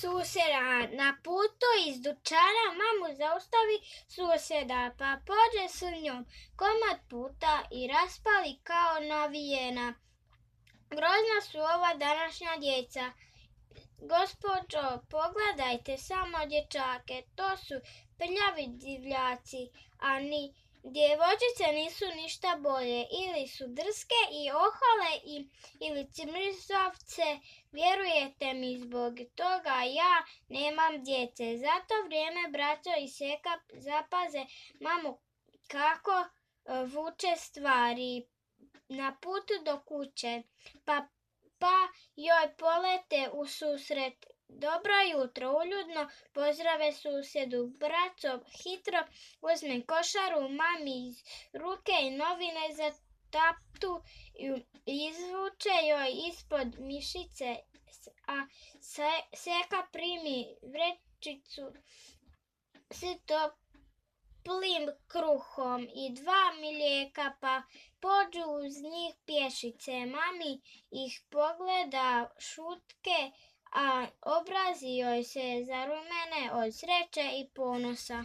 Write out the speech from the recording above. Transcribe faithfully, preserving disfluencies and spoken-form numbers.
susjeda. Na putu iz dućana mamu zaustavi susjeda, pa pođe s njom komad puta i raspali kao navijena. Grozna su ova današnja djeca. Gospođo, pogledajte samo dječake, to su prljavi divljaci, a ni djevojčice nisu ništa bolje. Ili su drske i ohole i, ili cimrizavce. Vjerujete mi, zbog toga ja nemam djece. Za to vrijeme braćo i seka zapaze mamu kako vuče stvari na putu do kuće, pa, pa joj polete u susret. Dobro jutro, uljudno pozdrave susjedu. Braco hitro uzme košaru mami iz ruke i novine za taptu i izvuče joj ispod mišice, a seka primi vrećicu s toplim kruhom i dva mlijeka, pa pođu uz njih pješice. Mami ih pogleda šutke, a obrazi joj se zarumene od sreće i ponosa.